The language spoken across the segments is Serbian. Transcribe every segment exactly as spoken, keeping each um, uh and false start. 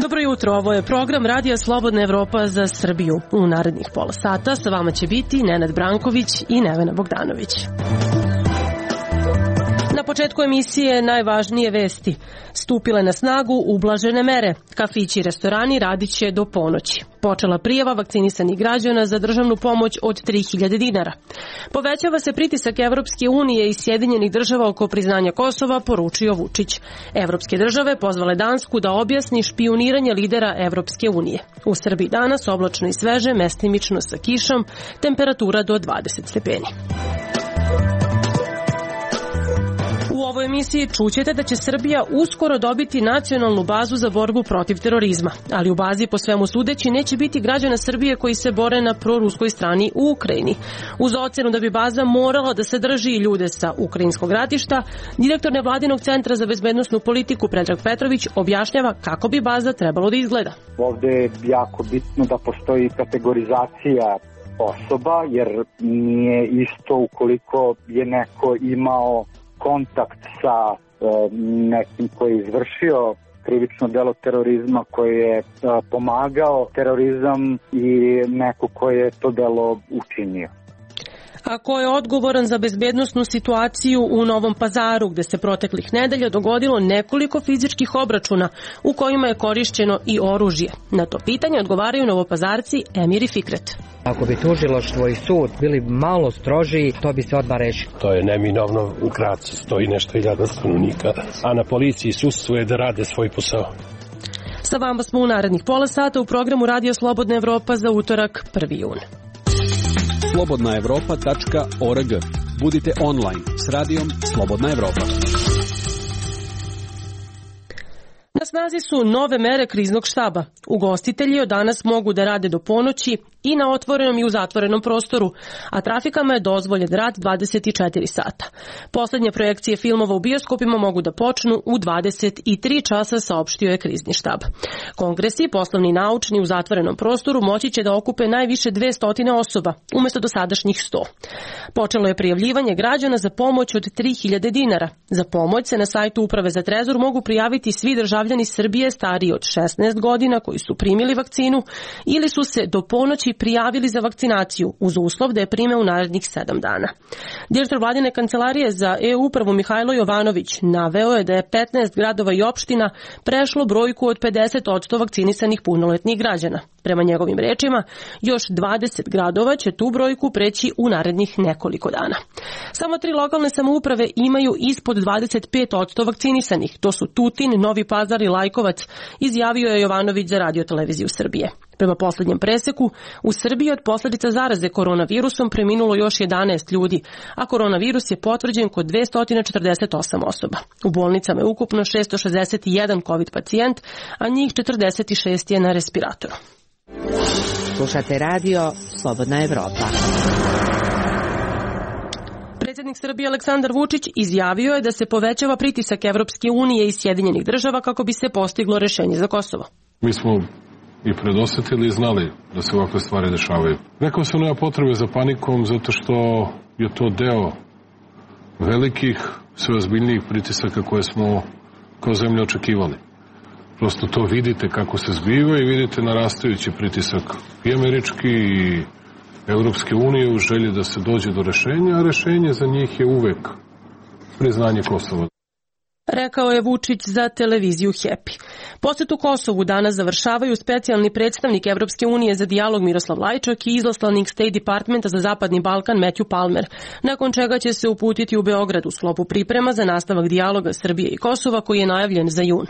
Dobro jutro, ovo je program Radija Slobodna Evropa za Srbiju. U narednih pola sata sa vama će biti Nenad Branković i Nevena Bogdanović. Na početku emisije najvažnije vesti. Stupile na snagu ublažene mere. Kafići i restorani radit će do ponoći. Počela prijava vakcinisanih građana za državnu pomoć od tri hiljade dinara. Povećava se pritisak Evropske unije i Sjedinjenih država oko priznanja Kosova, poručio Vučić. Evropske države pozvale Dansku da objasni špijuniranje lidera Evropske unije. U Srbiji danas oblačno i sveže, mestimično sa kišom, temperatura do dvadeset stepeni. U ovoj emisiji čućete da će Srbija uskoro dobiti nacionalnu bazu za borbu protiv terorizma, ali u bazi po svemu sudeći neće biti građana Srbije koji se bore na proruskoj strani u Ukrajini. Uz ocenu da bi baza morala da sadrži ljude sa ukrajinskog ratišta, direktor nevladinog centra za bezbednosnu politiku Predrag Petrović objašnjava kako bi baza trebalo da izgleda. Ovde je jako bitno da postoji kategorizacija osoba, jer nije isto ukoliko je neko imao kontakt sa e, nekim koji je izvršio krivično delo terorizma, koji je e, pomagao terorizam i neko koji je to delo učinio. A ko je odgovoran za bezbednosnu situaciju u Novom Pazaru, gde se proteklih nedelja dogodilo nekoliko fizičkih obračuna u kojima je korišćeno i oružje? Na to pitanje odgovaraju Novopazarci Emir i Fikret. Ako bi tužilaštvo i sud bili malo strožiji, to bi se odmah rešilo. To je neminovno, u Gracu stoji nešto hiljada stanovnika, a na policiji sudstvu je da rade svoj posao. Sa vama smo u narednih pola sata u programu Radio Slobodna Evropa za utorak prvi jun. slobodna evropa tačka org. Budite online s radijom Slobodna Evropa. Na snazi su nove mere kriznog štaba. Ugostitelji od danas mogu da rade do ponoći i na otvorenom i u zatvorenom prostoru, a trafikama je dozvoljen rad dvadeset četiri sata. Poslednje projekcije filmova u bioskopima mogu da počnu u dvadeset tri časa, saopštio je krizni štab. Kongresi, poslovni i naučni u zatvorenom prostoru moći će da okupe najviše dvesta osoba, umesto dosadašnjih sto. Počelo je prijavljivanje građana za pomoć od tri hiljade dinara. Za pomoć se na sajtu Uprave za trezor mogu prijaviti svi državljani Srbije stariji od šesnaest godina koji su primili vakcinu ili su se do ponoći prijavili za vakcinaciju uz uslov da je prime u narednih sedam dana. Direktor vladine kancelarije za e-upravu Mihajlo Jovanović naveo je da je petnaest gradova i opština prešlo brojku od pedeset posto vakcinisanih punoletnih građana. Prema njegovim rečima, još dvadeset gradova će tu brojku preći u narednih nekoliko dana. Samo tri lokalne samouprave imaju ispod dvadeset pet posto vakcinisanih. To su Tutin, Novi Pazar i Lajkovac, izjavio je Jovanović za Radio televiziju Srbije. Prema poslednjem preseku, u Srbiji od posledica zaraze koronavirusom preminulo još jedanaest ljudi, a koronavirus je potvrđen kod dvesta četrdeset osam osoba. U bolnicama je ukupno šesto šezdeset jedan COVID pacijent, a njih četrdeset šest je na respiratoru. Slušate radio Slobodna Evropa. Predsjednik Srbije Aleksandar Vučić izjavio je da se povećava pritisak Evropske unije i Sjedinjenih država kako bi se postiglo rešenje za Kosovo. Mi smo i predosetili i znali da se ovakve stvari dešavaju. Rekao sam, nema potrebe za panikom zato što je to deo velikih, sve ozbiljnijih pritisaka koje smo kao zemlja očekivali. Prosto to vidite kako se zbiva i vidite narastajući pritisak i američki i Evropske unije u želji da se dođe do rešenja, a rešenje za njih je uvek priznanje Kosova. Rekao je Vučić za televiziju Happy. Posetu Kosovu danas završavaju specijalni predstavnik Evropske unije za dijalog Miroslav Lajčak i izaslanik State Departmenta za Zapadni Balkan Matthew Palmer, nakon čega će se uputiti u Beograd u sklopu priprema za nastavak dijaloga Srbije i Kosova koji je najavljen za jun.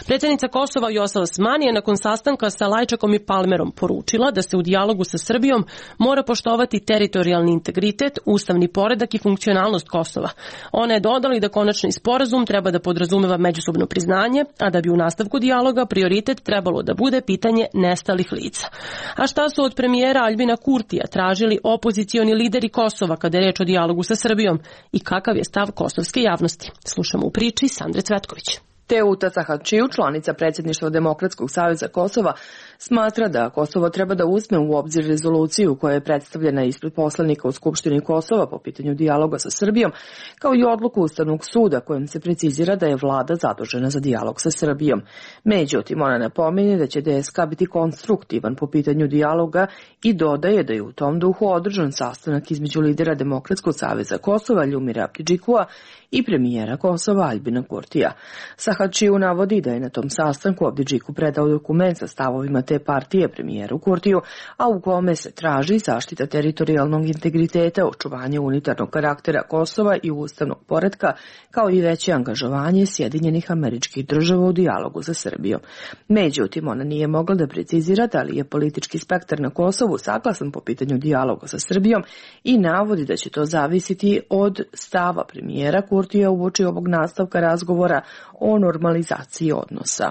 Predsjednica Kosova Vjosa Osmani je nakon sastanka sa Lajčakom i Palmerom poručila da se u dijalogu sa Srbijom mora poštovati teritorijalni integritet, ustavni poredak i funkcionalnost Kosova. Ona je dodala da konačni sporazum treba da podrazumeva međusobno priznanje, a da bi u nastavku dijaloga prioritet trebalo da bude pitanje nestalih lica. A šta su od premijera Aljbina Kurtija tražili opozicioni lideri Kosova kada je reč o dijalogu sa Srbijom i kakav je stav kosovske javnosti? Slušamo u priči Sandre Cvetković. Teuta Sahačiju, članica predsjedništva Demokratskog saveza Kosova, smatra da Kosovo treba da uzme u obzir rezoluciju koja je predstavljena ispred poslanika u Skupštini Kosova po pitanju dijaloga sa Srbijom, kao i odluku Ustavnog suda kojom se precizira da je vlada zadužena za dijalog sa Srbijom. Međutim, ona napominje da će D S K biti konstruktivan po pitanju dijaloga i dodaje da je u tom duhu održan sastanak između lidera Demokratskog saveza Kosova Ljumira Abdidžikua i premijera Kosova Aljbina Kurtija. Sahačiju navodi da je na tom sastanku Abdidžiku predao dokument sa stavovima te partije premijeru Kurtiju, a u kome se traži zaštita teritorijalnog integriteta, očuvanje unitarnog karaktera Kosova i ustavnog poretka, kao i veće angažovanje Sjedinjenih Američkih Država u dijalogu sa Srbijom. Međutim, ona nije mogla da precizira da li je politički spektar na Kosovu saglasan po pitanju dijaloga sa Srbijom i navodi da će to zavisiti od stava premijera Kurtija uoči ovog nastavka razgovora o normalizaciji odnosa.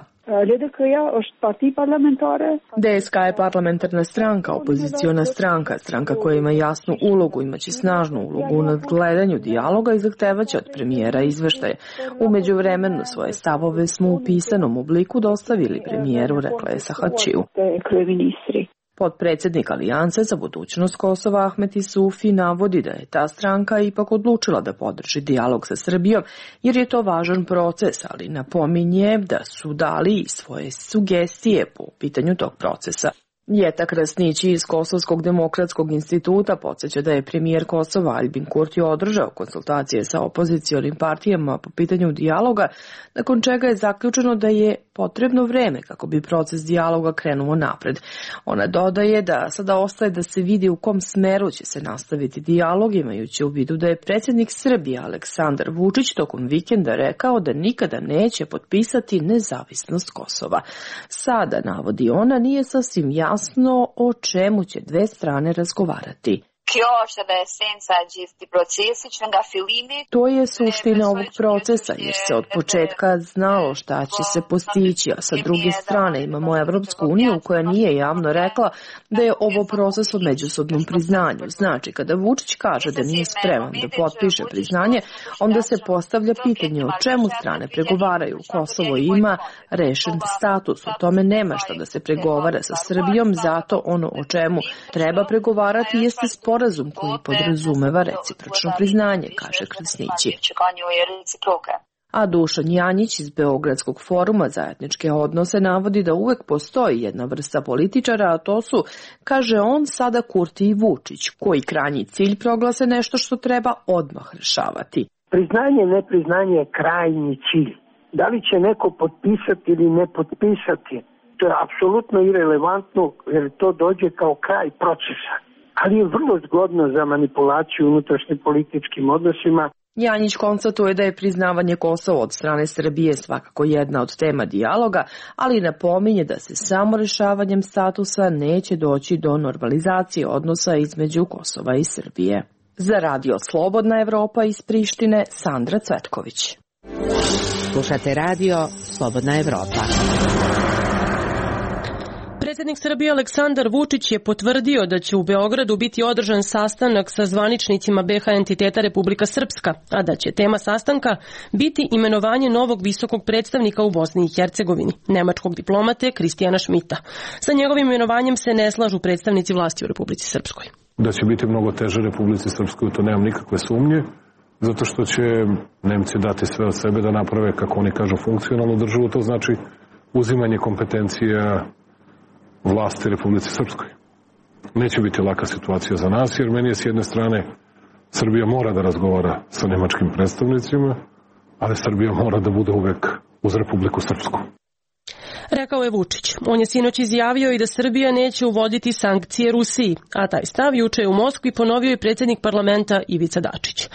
D S K je parlamentarna stranka, opoziciona stranka, stranka koja ima jasnu ulogu, imaće snažnu ulogu u nadgledanju dijaloga i zahtevaće od premijera izveštaje. U međuvremenu svoje stavove smo u pisanom obliku dostavili premijeru, rekla je Sahačiju. Potpredsjednik Alijanse za budućnost Kosova Ahmet Isufi navodi da je ta stranka ipak odlučila da podrži dijalog sa Srbijom jer je to važan proces, ali napominje da su dali i svoje sugestije po pitanju tog procesa. Jeta Krasnić iz Kosovskog demokratskog instituta podsjeća da je premijer Kosova Aljbin Kurti održao konsultacije sa opozicionim partijama po pitanju dijaloga, nakon čega je zaključeno da je potrebno vreme kako bi proces dijaloga krenuo napred. Ona dodaje da sada ostaje da se vidi u kom smeru će se nastaviti dijalog, imajući u vidu da je predsjednik Srbije Aleksandar Vučić tokom vikenda rekao da nikada neće potpisati nezavisnost Kosova. Sada, navodi ona, nije sasvim jasno o čemu će dve strane razgovarati. To je suština ovog procesa, jer se od početka znalo šta će se postići, a sa druge strane imamo Evropsku uniju koja nije javno rekla da je ovo proces o međusobnom priznanju. Znači, kada Vučić kaže da nije spreman da potpiše priznanje, onda se postavlja pitanje o čemu strane pregovaraju. Kosovo ima rešen status, o tome nema šta da se pregovara sa Srbijom, zato ono o čemu treba pregovarati jeste sporazum koji podrazumeva recipročno priznanje, kaže Krasnići. A Dušan Janjić iz Beogradskog foruma za etničke odnose navodi da uvek postoji jedna vrsta političara, a to su, kaže on, sada Kurti i Vučić, koji krajnji cilj proglase nešto što treba odmah rešavati. Priznanje, nepriznanje je krajnji cilj. Da li će neko potpisati ili ne potpisati, to je apsolutno irelevantno jer to dođe kao kraj procesa. Ali je vrlo zgodno za manipulaciju unutrašnjim političkim odnosima. Janjić konstatuje da je priznavanje Kosova od strane Srbije svakako jedna od tema dijaloga, ali napominje da se samo rešavanjem statusa neće doći do normalizacije odnosa između Kosova i Srbije. Za Radio Slobodna Evropa iz Prištine, Sandra Cvetković. Slušate Radio Slobodna Evropa. Predsjednik Srbije Aleksandar Vučić je potvrdio da će u Beogradu biti održan sastanak sa zvaničnicima B H entiteta Republika Srpska, a da će tema sastanka biti imenovanje novog visokog predstavnika u Bosni i Hercegovini, nemačkog diplomate Kristijana Šmita. Sa njegovim imenovanjem se ne slažu predstavnici vlasti u Republici Srpskoj. Da će biti mnogo teže Republici Srpskoj, to nemam nikakve sumnje, zato što će Nemci dati sve od sebe da naprave, kako oni kažu, funkcionalnu državu, to znači uzimanje kompetencija vlasti Republici Srpskoj. Neće biti laka situacija za nas, jer meni je s jedne strane Srbija mora da razgovara sa nemačkim predstavnicima, ali Srbija mora da bude uvek uz Republiku Srpsku. Rekao je Vučić. On je sinoć izjavio i da Srbija neće uvoditi sankcije Rusiji, a taj stav juče je u Moskvi ponovio i predsjednik parlamenta Ivica Dačić.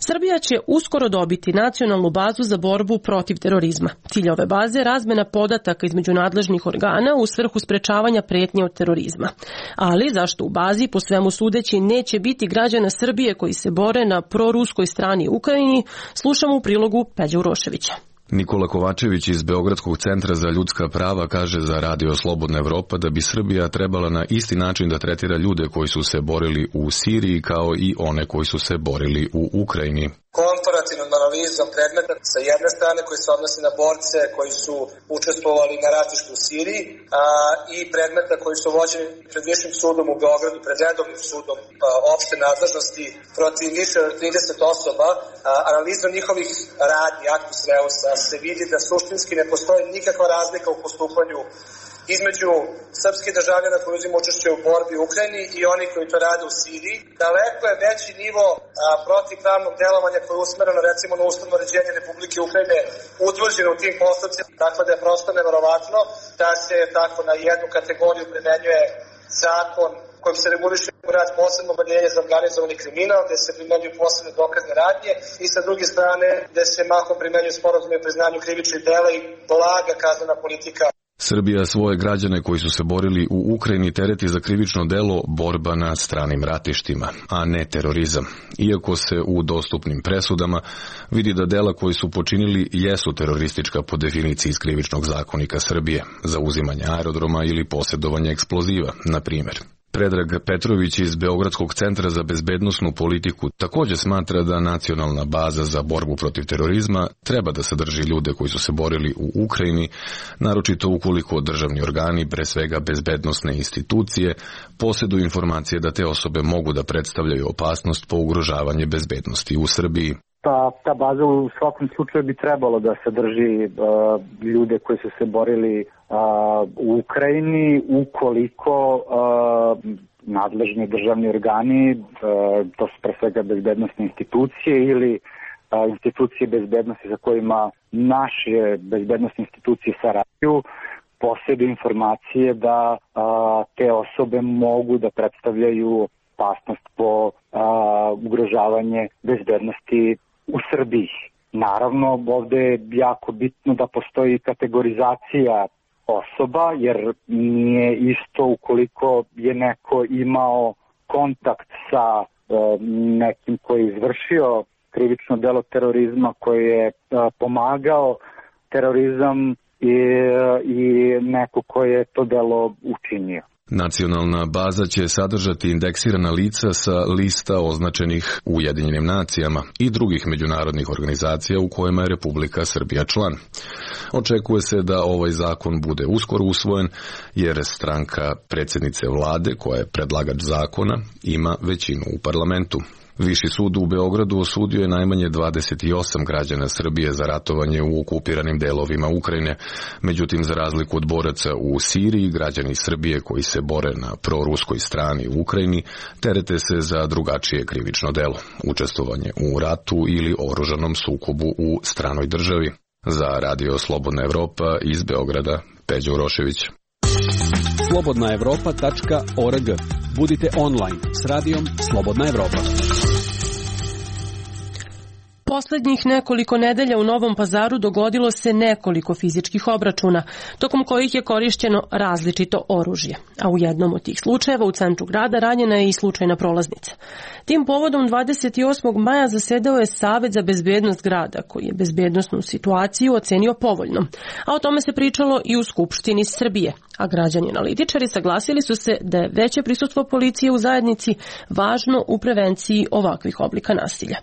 Srbija će uskoro dobiti nacionalnu bazu za borbu protiv terorizma. Cilj ove baze je razmena podataka između nadležnih organa u svrhu sprečavanja pretnje od terorizma. Ali zašto u bazi, po svemu sudeći, neće biti građana Srbije koji se bore na proruskoj strani Ukrajini, slušamo u prilogu Peđa Uroševića. Nikola Kovačević iz Beogradskog centra za ljudska prava kaže za Radio Slobodna Evropa da bi Srbija trebala na isti način da tretira ljude koji su se borili u Siriji kao i one koji su se borili u Ukrajini. Komparativnom analizom analizom predmeta sa jedne strane koji se odnosi na borce koji su učestvovali na ratištu u Siriji a, i predmeta koji su vođeni pred Višim sudom u Beogradu, pred redovnim sudom a, opšte nadležnosti protiv više od trideset osoba. A, analizom njihovih radnji, actus reusa, se vidi da suštinski ne postoji nikakva razlika u postupanju između srpskih državljana koji uzima učešće u borbi u Ukrajini i oni koji to rade u Siriji. Daleko je veći nivo a, protivpravnog delovanja koje je usmereno recimo na ustavno uređenje Republike Ukrajine utvrđeno u tim postupcima, tako da je prosto neverovatno da se tako na jednu kategoriju primenjuje zakon kojim se reguliše rad posebno odeljenje za organizovani kriminal, gde se primenjuju posebne dokazne radnje i sa druge strane gde se mahom primenjuju sporazumi o priznanju krivičnih dela i blaga kaznena politika. Srbija svoje građane koji su se borili u Ukrajini tereti za krivično delo borba na stranim ratištima, a ne terorizam. Iako se u dostupnim presudama vidi da dela koji su počinili jesu teroristička po definiciji iz krivičnog zakonika Srbije, za uzimanje aerodroma ili posjedovanje eksploziva, na primjer. Predrag Petrović iz Beogradskog centra za bezbednosnu politiku također smatra da nacionalna baza za borbu protiv terorizma treba da sadrži ljude koji su se borili u Ukrajini, naročito ukoliko državni organi, pre svega bezbednosne institucije, posjeduju informacije da te osobe mogu da predstavljaju opasnost po ugrožavanje bezbednosti u Srbiji. Ta, ta baza u svakom slučaju bi trebalo da sadrži uh, ljude koji su se borili uh, u Ukrajini ukoliko uh, nadležni državni organi, uh, to su pre svega bezbednosne institucije ili uh, institucije bezbednosti za kojima naše bezbednosne institucije sarađuju, posjeduju informacije da uh, te osobe mogu da predstavljaju opasnost po uh, ugrožavanje bezbednosti u Srbiji. Naravno, ovde je jako bitno da postoji kategorizacija osoba, jer nije isto ukoliko je neko imao kontakt sa e, nekim koji je izvršio krivično delo terorizma, koji je e, pomagao terorizam i, i neko koji je to delo učinio. Nacionalna baza će sadržati indeksirana lica sa lista označenih Ujedinjenim nacijama i drugih međunarodnih organizacija u kojima je Republika Srbija član. Očekuje se da ovaj zakon bude uskoro usvojen, jer stranka predsjednice vlade, koja je predlagač zakona, ima većinu u parlamentu. Viši sud u Beogradu osudio je najmanje dvadeset osam građana Srbije za ratovanje u okupiranim delovima Ukrajine. Međutim, za razliku od boraca u Siriji, građani Srbije koji se bore na proruskoj strani u Ukrajini terete se za drugačije krivično delo, učestvovanje u ratu ili oružanom sukobu u stranoj državi. Za Radio Slobodna Evropa iz Beograda, Peđa Urošević. slobodna evropa tačka org. Budite online s radijom Slobodna Evropa. Poslednjih nekoliko nedelja u Novom Pazaru dogodilo se nekoliko fizičkih obračuna, tokom kojih je korišćeno različito oružje, a u jednom od tih slučajeva u centru grada ranjena je i slučajna prolaznica. Tim povodom dvadeset osmog maja zasedao je Savet za bezbednost grada, koji je bezbednosnu situaciju ocenio povoljnom, a o tome se pričalo i u Skupštini Srbije, a građani analitičari saglasili su se da je veće prisustvo policije u zajednici važno u prevenciji ovakvih oblika nasilja.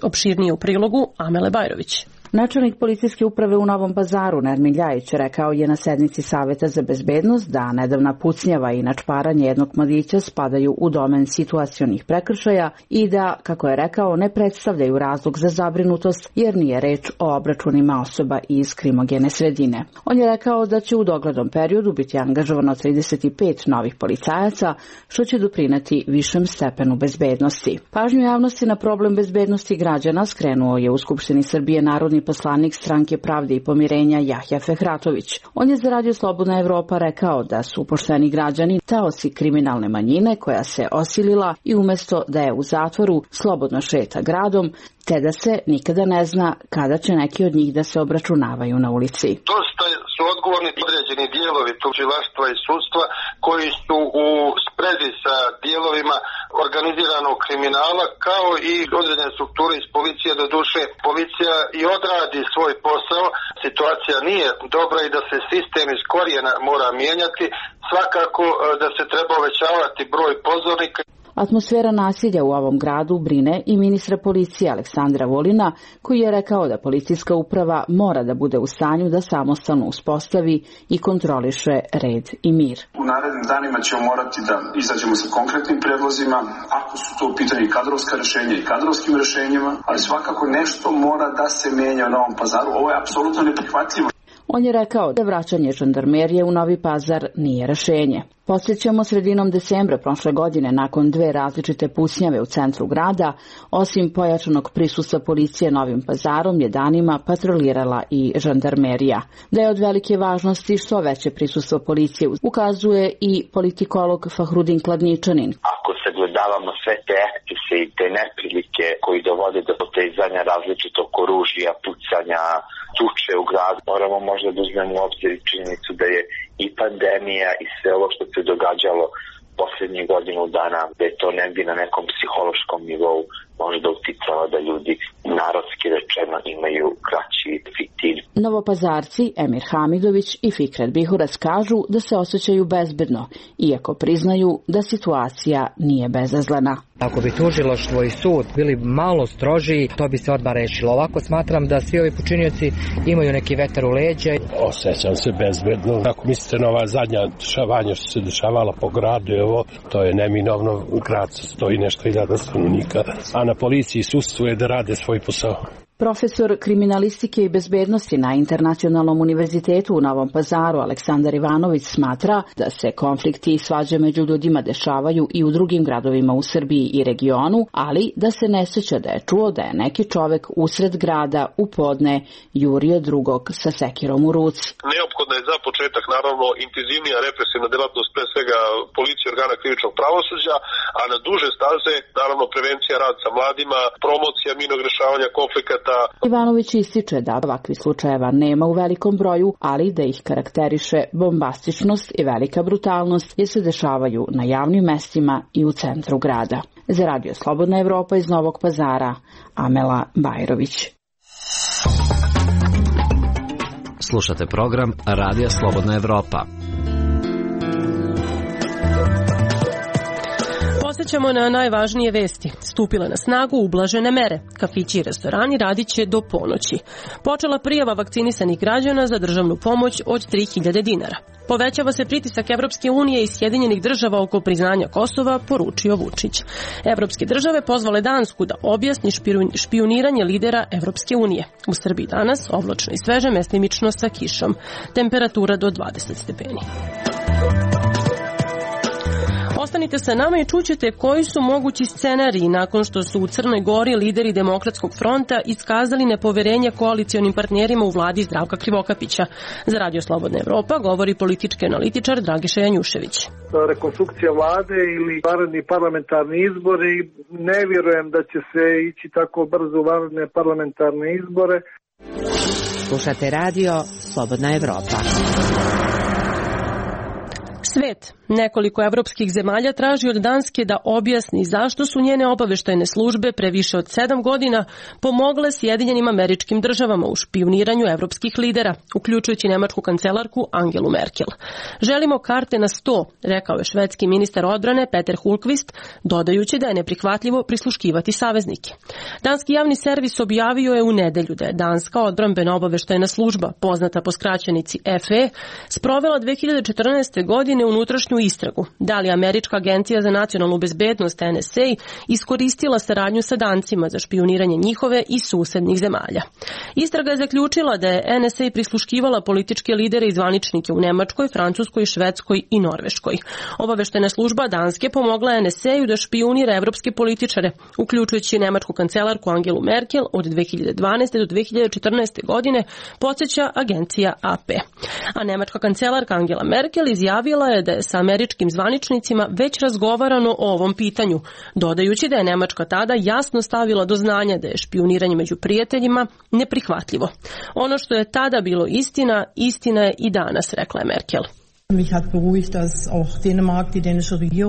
Opširnije u prilogu Amele Bajrović. Načelnik policijske uprave u Novom Pazaru, Nermin Ljajić, rekao je na sednici Saveta za bezbednost da nedavna pucnjava i načparanje jednog mladića spadaju u domen situacionih prekršaja i da, kako je rekao, ne predstavljaju razlog za zabrinutost jer nije reč o obračunima osoba iz krimogene sredine. On je rekao da će u doglednom periodu biti angažovano trideset pet novih policajaca, što će doprineti višem stepenu bezbednosti. Pažnju javnosti na problem bezbednosti građana skrenuo je u Skupštini Srbije narodni poslanik Stranke pravde i pomirenja Jahja Fehratović. On je za Radio Slobodna Evropa rekao da su pošteni građani taoci kriminalne manjine koja se osilila i umesto da je u zatvoru slobodno šeta gradom, te da se nikada ne zna kada će neki od njih da se obračunavaju na ulici. Dosta su odgovorni određeni dijelovi tužilaštva i sudstva koji su u sprezi sa dijelovima organiziranog kriminala, kao i određene strukture iz policije. Do duše, policija i odradi svoj posao. Situacija nije dobra i da se sistem iz korijena mora mijenjati. Svakako da se treba uvećavati broj pozornika. Atmosfera nasilja u ovom gradu brine i ministra policije Aleksandra Vulina, koji je rekao da policijska uprava mora da bude u stanju da samostalno uspostavi i kontroliše red i mir. U narednim danima ćemo morati da izađemo sa konkretnim predlozima, ako su to u pitanju kadrovska rešenja i kadrovskim rešenjima, ali svakako nešto mora da se menja u Novom Pazaru. Ovo je apsolutno neprihvatljivo. On je rekao da vraćanje žandarmerije u Novi Pazar nije rešenje. Podsjećamo, sredinom decembra prošle godine, nakon dve različite pucnjave u centru grada, osim pojačanog prisustva policije Novim Pazarom je danima patrolirala i žandarmerija. Da je od velike važnosti što veće prisustvo policije ukazuje i politikolog Fahrudin Kladničanin. Ako sagledavamo sve te ekscese i te neprilike koji dovode do potezanja različitog oružja, pucanja, tuče u gradu, moramo možda da uzmemo u obzir činjenicu da je i pandemija i sve ovo što se događalo poslednjih godinu dana, da je to negdje na nekom psihološkom nivou možda uticalo da ljudi narodski rečeno imaju kraći fitilj. Novopazarci Emir Hamidović i Fikret Bihuras kažu da se osjećaju bezbedno, iako priznaju da situacija nije bezazlena. Ako bi tužilaštvo i sud bili malo strožiji, to bi se odmah rešilo. Ovako smatram da svi ovi počinioci imaju neki vetar u leđa. Osjećam se bezbedno. Ako mislite na ova zadnja dešavanja što se dešavala po gradu, evo, to je neminovno, grad stoji nešto hiljada stanovnika, a na policiji i sudstvu je da rade svoj posao. Profesor kriminalistike i bezbednosti na Internacionalnom univerzitetu u Novom Pazaru Aleksandar Ivanović smatra da se konflikti i svađe među ljudima dešavaju i u drugim gradovima u Srbiji i regionu, ali da se ne sjeća da je čuo da je neki čovek usred grada u podne jurio drugog sa sekirom u ruci. Neophodna je za početak naravno intenzivnija represivna delatnost, pre svega policije, organa krivičnog pravosuđa, a na duže staze naravno prevencija, rad sa mladima, promocija mirnog rešavanja konflikata. Ivanović ističe da ovakvih slučajeva nema u velikom broju, ali da ih karakteriše bombastičnost i velika brutalnost jer se dešavaju na javnim mestima i u centru grada. Za Radio Slobodna Evropa iz Novog Pazara, Amela Bajrović. Slušate program Radija Slobodna Evropa. Podsećamo na najvažnije vesti. Stupile na snagu ublažene mere. Kafići i restorani radit će do ponoći. Počela prijava vakcinisanih građana za državnu pomoć od tri hiljade dinara. Povećava se pritisak Evropske unije i Sjedinjenih država oko priznanja Kosova, poručio Vučić. Evropske države pozvale Dansku da objasni špijuniranje lidera Evropske unije. U Srbiji danas oblačno i sveže, mestimično sa kišom. Temperatura do dvadeset stepeni. Ostanite sa nama i čućete koji su mogući scenariji nakon što su u Crnoj Gori lideri Demokratskog fronta iskazali nepoverenje koalicionim partnerima u vladi Zdravka Krivokapića. Za Radio Slobodna Evropa govori politički analitičar Dragiša Janjušević. Rekonstrukcija vlade ili vanredni parlamentarni izbori, ne vjerujem da će se ići tako brzo u vanredne parlamentarne izbore. Slušate Radio Slobodna Evropa. Svet. Nekoliko evropskih zemalja traži od Danske da objasni zašto su njene obaveštajne službe pre više od sedam godina pomogle Sjedinjenim Američkim Državama u špijuniranju evropskih lidera, uključujući nemačku kancelarku Angelu Merkel. Želimo karte na sto, rekao je švedski ministar odbrane Peter Hultqvist, dodajući da je neprihvatljivo prisluškivati saveznike. Danski javni servis objavio je u nedelju da je Danska odbrambena obaveštajna služba, poznata po skraćenici F E, sprovela dve hiljade četrnaeste. godine unutrašnju istragu. Da li Američka agencija za nacionalnu bezbednost N S A iskoristila saradnju sa Dancima za špijuniranje njihove i susednih zemalja. Istraga je zaključila da je N S A prisluškivala političke lidere i zvaničnike u Nemačkoj, Francuskoj, Švedskoj i Norveškoj. Obaveštajna služba Danske pomogla N S A-u da špijunira evropske političare, uključujući nemačku kancelarku Angelu Merkel od dve hiljade dvanaeste. do dve hiljade četrnaeste. godine, podsjeća agencija A P. A nemačka kancelarka Angela Merkel izjavila je da je sa američkim zvaničnicima već razgovarano o ovom pitanju, dodajući da je Nemačka tada jasno stavila do znanja da je špijuniranje među prijateljima neprihvatljivo. Ono što je tada bilo istina, istina je i danas, rekla je Merkel.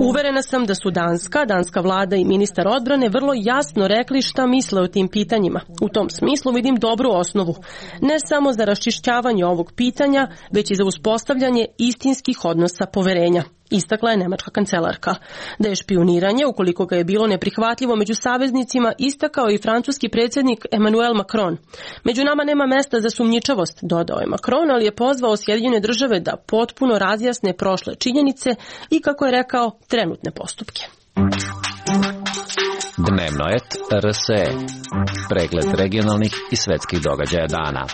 Uverena sam da su Danska, danska vlada i ministar odbrane vrlo jasno rekli šta misle o tim pitanjima. U tom smislu vidim dobru osnovu, ne samo za raščišćavanje ovog pitanja, već i za uspostavljanje istinskih odnosa poverenja. istakla je nemačka kancelarka. Da je špijuniranje, ukoliko ga je bilo neprihvatljivo među saveznicima, istakao i francuski predsjednik Emmanuel Macron. Među nama nema mesta za sumnjičavost, dodao je Macron, ali je pozvao Sjedinjene države da potpuno razjasne prošle činjenice i, kako je rekao, trenutne postupke. Dnevno et R S E. Pregled regionalnih i svetskih događaja dana.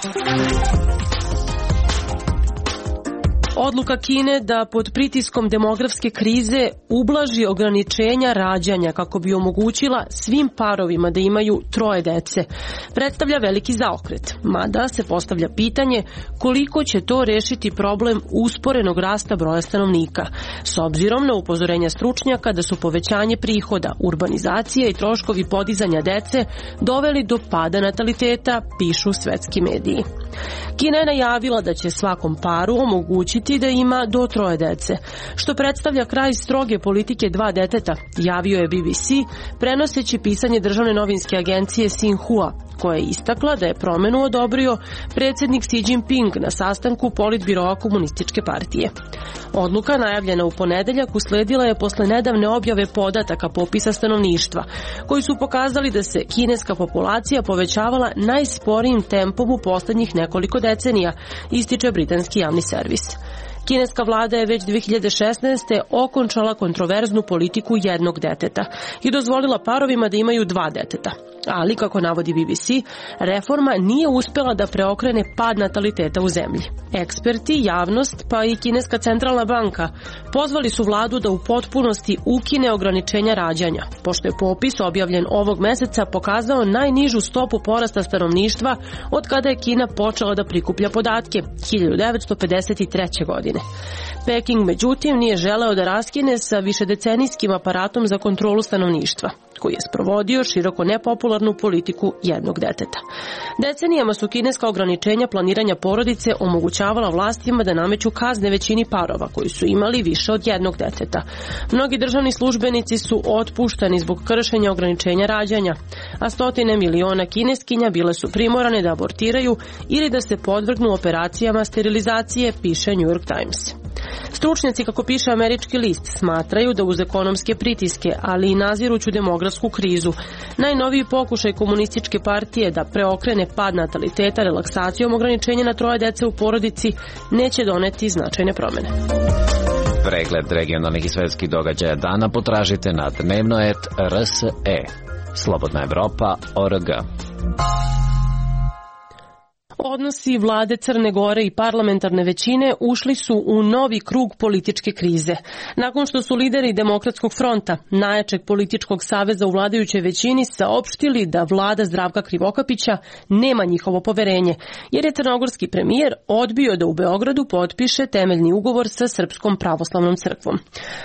Odluka Kine da pod pritiskom demografske krize ublaži ograničenja rađanja kako bi omogućila svim parovima da imaju troje dece predstavlja veliki zaokret, mada se postavlja pitanje koliko će to rešiti problem usporenog rasta broja stanovnika, s obzirom na upozorenja stručnjaka da su povećanje prihoda, urbanizacija i troškovi podizanja dece doveli do pada nataliteta, pišu svetski mediji. Kina je najavila da će svakom paru omogućiti da ima do troje dece, što predstavlja kraj stroge politike dva deteta, javio je B B C, prenoseći pisanje državne novinske agencije Xinhua, koja je istakla da je promenu odobrio predsjednik Xi Jinping na sastanku politbiroa komunističke partije. Odluka, najavljena u ponedeljak, usledila je posle nedavne objave podataka popisa stanovništva, koji su pokazali da se kineska populacija povećavala najsporijim tempom u poslednjih nekoliko decenija, ističe britanski javni servis. Kineska vlada je već dve hiljade šesnaeste. okončala kontroverznu politiku jednog deteta i dozvolila parovima da imaju dva deteta. Ali, kako navodi B B C, reforma nije uspela da preokrene pad nataliteta u zemlji. Eksperti, javnost, pa i Kineska centralna banka pozvali su vladu da u potpunosti ukine ograničenja rađanja, pošto je popis objavljen ovog meseca pokazao najnižu stopu porasta stanovništva od kada je Kina počela da prikuplja podatke, hiljadu devetsto pedeset treće. godine. Peking, međutim, nije želeo da raskine sa višedecenijskim aparatom za kontrolu stanovništva, koji je sprovodio široko nepopularnu politiku jednog deteta. Decenijama su kineska ograničenja planiranja porodice omogućavala vlastima da nameću kazne većini parova koji su imali više od jednog deteta. Mnogi državni službenici su otpuštani zbog kršenja ograničenja rađanja, a stotine miliona kineskinja bile su primorane da abortiraju ili da se podvrgnu operacijama sterilizacije, piše New York Times. Stručnjaci, kako piše američki list, smatraju da uz ekonomske pritiske, ali i naziruću demografsku krizu, najnoviji pokušaj komunističke partije da preokrene pad nataliteta relaksacijom ograničenja na troje dece u porodici neće doneti značajne promene. Pregled regionalnih i svetskih događaja dana potražite na dnevno et R S E. Slobodna Evropa O R G. Odnosi vlade Crne Gore i parlamentarne većine ušli su u novi krug političke krize. Nakon što su lideri Demokratskog fronta, najjačeg političkog saveza u vladajućoj većini, saopštili da vlada Zdravka Krivokapića nema njihovo poverenje, jer je crnogorski premijer odbio da u Beogradu potpiše temeljni ugovor sa Srpskom pravoslavnom crkvom.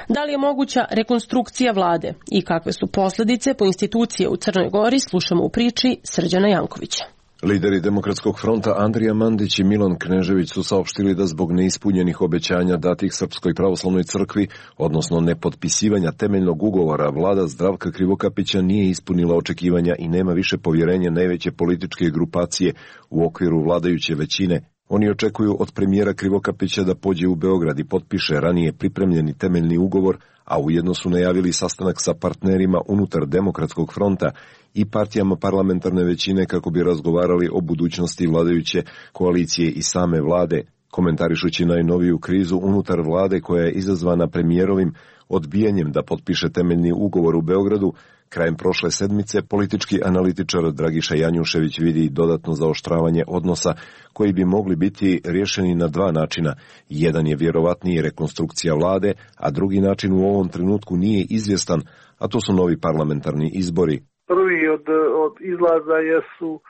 Da li je moguća rekonstrukcija vlade i kakve su posledice po institucije u Crnoj Gori, slušamo u priči Srđana Jankovića. Lideri Demokratskog fronta Andrija Mandić i Milan Knežević su saopštili da zbog neispunjenih obećanja datih Srpskoj pravoslavnoj crkvi, odnosno nepotpisivanja temeljnog ugovora, vlada Zdravka Krivokapića nije ispunila očekivanja i nema više povjerenja najveće političke grupacije u okviru vladajuće većine. Oni očekuju od premijera Krivokapića da pođe u Beograd i potpiše ranije pripremljeni temeljni ugovor, a ujedno su najavili sastanak sa partnerima unutar Demokratskog fronta i partijama parlamentarne većine kako bi razgovarali o budućnosti vladajuće koalicije i same vlade, komentarišući najnoviju krizu unutar vlade koja je izazvana premijerovim odbijanjem da potpiše temeljni ugovor u Beogradu. Krajem prošle sedmice politički analitičar Dragiša Janjušević vidi dodatno zaoštravanje odnosa koji bi mogli biti rješeni na dva načina. Jedan je vjerovatniji rekonstrukcija vlade, a drugi način u ovom trenutku nije izvjestan, a to su novi parlamentarni izbori. Prvi od, od izlaza jesu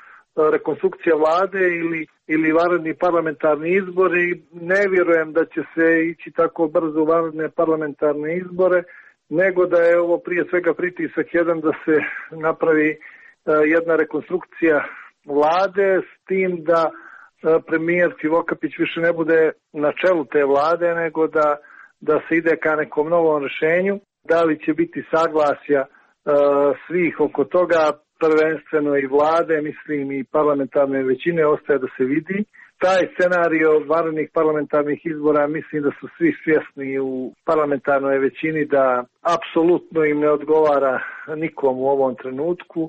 rekonstrukcija vlade ili, ili vanredni parlamentarni izbori. Ne vjerujem da će se ići tako brzo u vanredne parlamentarne izbore, nego da je ovo prije svega pritisak jedan da se napravi uh, jedna rekonstrukcija vlade, s tim da uh, premijer Krivokapić više ne bude na čelu te vlade, nego da, da se ide ka nekom novom rješenju. Da li će biti saglasja uh, svih oko toga, prvenstveno i vlade, mislim i parlamentarne većine, ostaje da se vidi. taj scenario vanrednih parlamentarnih izbora mislim da su svi svjesni u parlamentarnoj većini da apsolutno im ne odgovara nikom u ovom trenutku,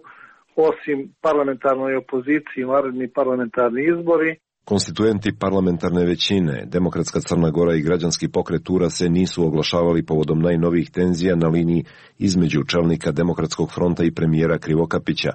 osim parlamentarnoj opoziciji, vanredni parlamentarni izbori. Konstituenti parlamentarne većine, Demokratska Crna Gora i Građanski pokret U R A se nisu oglašavali povodom najnovijih tenzija na liniji između čelnika Demokratskog fronta i premijera Krivokapića.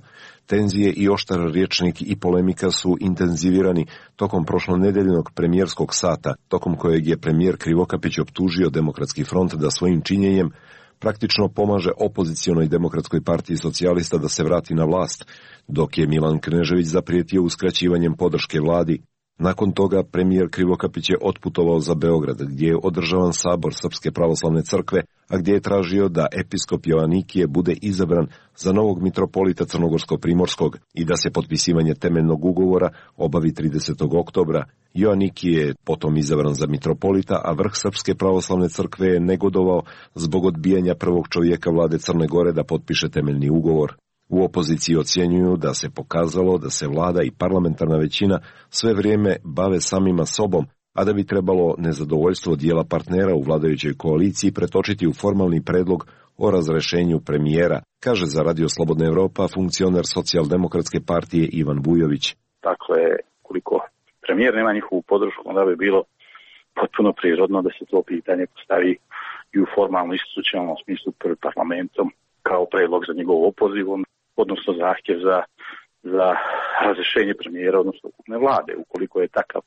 Tenzije i oštar rječnik i polemika su intenzivirani tokom prošlonedeljnog premijerskog sata, tokom kojeg je premijer Krivokapić optužio Demokratski front da svojim činjenjem praktično pomaže opozicionoj Demokratskoj partiji socijalista da se vrati na vlast, dok je Milan Knežević zaprijetio uskraćivanjem podrške vladi. Nakon toga premijer Krivokapić je otputovao za Beograd, gdje je održavan sabor Srpske pravoslavne crkve, a gdje je tražio da episkop Joanikije bude izabran za novog mitropolita Crnogorsko-Primorskog i da se potpisivanje temeljnog ugovora obavi tridesetog oktobra. Joanikije je potom izabran za mitropolita, a vrh Srpske pravoslavne crkve je negodovao zbog odbijanja prvog čovjeka vlade Crne Gore da potpiše temeljni ugovor. U opoziciji ocjenjuju da se pokazalo da se vlada i parlamentarna većina sve vrijeme bave samima sobom, a da bi trebalo nezadovoljstvo dijela partnera u vladajućoj koaliciji pretočiti u formalni predlog o razrešenju premijera, kaže za Radio Slobodna Evropa funkcioner Socijaldemokratske partije Ivan Bujović. Dakle, koliko premijer nema njihovu podršku, onda bi bilo potpuno prirodno da se to pitanje postavi i u formalno institucionalnom smislu pred parlamentom kao predlog za njegov opoziv, odnosno zahtjev za, za razrješenje premijera, odnosno ukupne vlade. Ukoliko je takav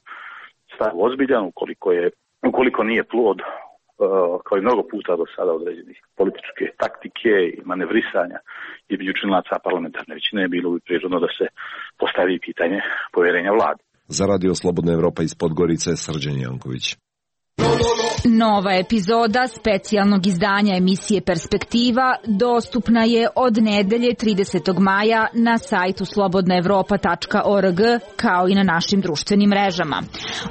stav ozbiljan, ukoliko, je, ukoliko nije plod, uh, kao i mnogo puta do sada određenih političke taktike i manevrisanja između članaca parlamentarne većine, bilo bi prirodno da se postavi pitanje povjerenja vlade. Za Radio Slobodna Evropa iz Podgorice, Srđan Janković. Nova epizoda specijalnog izdanja emisije Perspektiva dostupna je od nedelje tridesetog maja na sajtu slobodna evropa tačka org kao i na našim društvenim mrežama.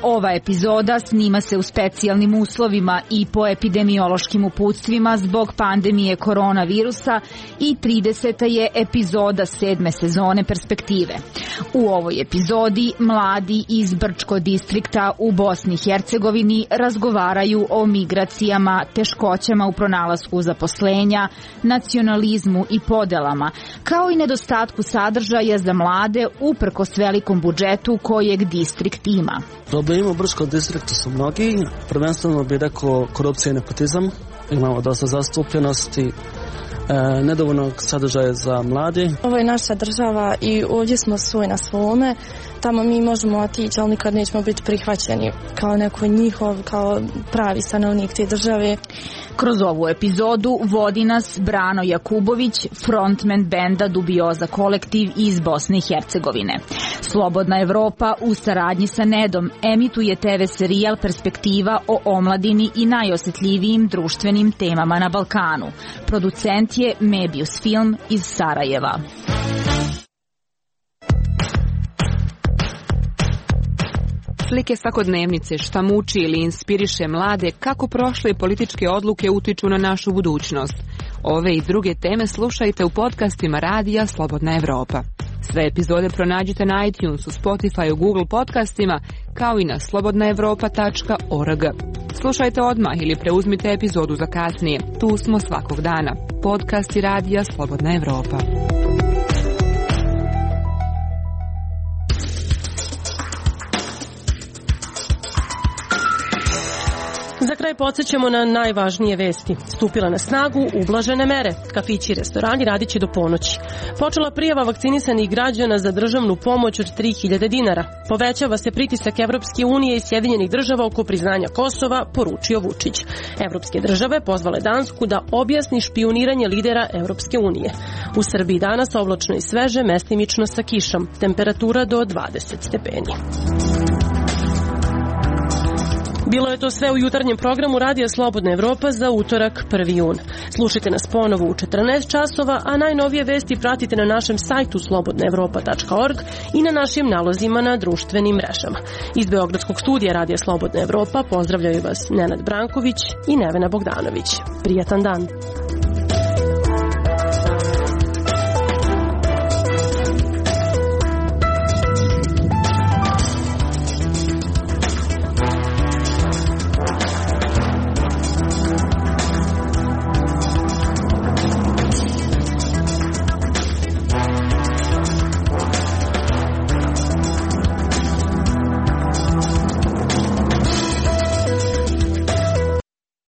Ova epizoda snima se u specijalnim uslovima i po epidemiološkim uputstvima zbog pandemije koronavirusa i trideseta je epizoda sedme sezone Perspektive. U ovoj epizodi mladi iz Brčko distrikta u Bosni i Hercegovini razgovaraju o migracijama, teškoćama u pronalasku zaposlenja, nacionalizmu i podelama, kao i nedostatku sadržaja za mlade uprkos velikom budžetu kojeg distrikt ima. Problemi u Brčkom distriktu su mnogi, prvenstveno bih rekao korupcija i nepotizam, imamo dosta zastupljenosti, E, nedovoljnog sadržaja za mladi. Ovo je naša država i ovdje smo svoj na svome. Tamo mi možemo otići, ali nikad nećemo biti prihvaćeni kao neko njihov, kao pravi stanovnik te države. Kroz ovu epizodu vodi nas Brano Jakubović, frontman benda Dubioza kolektiv iz Bosne i Hercegovine. Slobodna Evropa u saradnji sa Nedom emituje te ve serijal Perspektiva o omladini i najosjetljivijim društvenim temama na Balkanu. Producent je Mebius Film iz Sarajeva. Slike svakodnevnice, šta muči ili inspiriše mlade, kako prošle političke odluke utiču na našu budućnost. Ove i druge teme slušajte u podcastima Radija Slobodna Evropa. Sve epizode pronađite na iTunesu, Spotifyu, Google podcastima, kao i na slobodna evropa tačka org. Slušajte odmah ili preuzmite epizodu za kasnije. Tu smo svakog dana. Podcasti Radija Slobodna Evropa. Za kraj podsjećamo na najvažnije vesti. Stupila na snagu ublažene mere. Kafići i restorani radit će do ponoći. Počela prijava vakcinisanih građana za državnu pomoć od tri hiljade dinara. Povećava se pritisak Evropske unije i Sjedinjenih država oko priznanja Kosova, poručio Vučić. Evropske države pozvale Dansku da objasni špijuniranje lidera Evropske unije. U Srbiji danas oblačno i sveže, mestimično sa kišom. Temperatura do dvadeset stepeni. Bilo je to sve u jutarnjem programu Radija Slobodna Evropa za utorak prvi jun. Slušajte nas ponovo u četrnaest časova, a najnovije vesti pratite na našem sajtu slobodna evropa tačka org i na našim nalozima na društvenim mrežama. Iz Beogradskog studija Radija Slobodna Evropa pozdravljaju vas Nenad Branković i Nevena Bogdanović. Prijatan dan!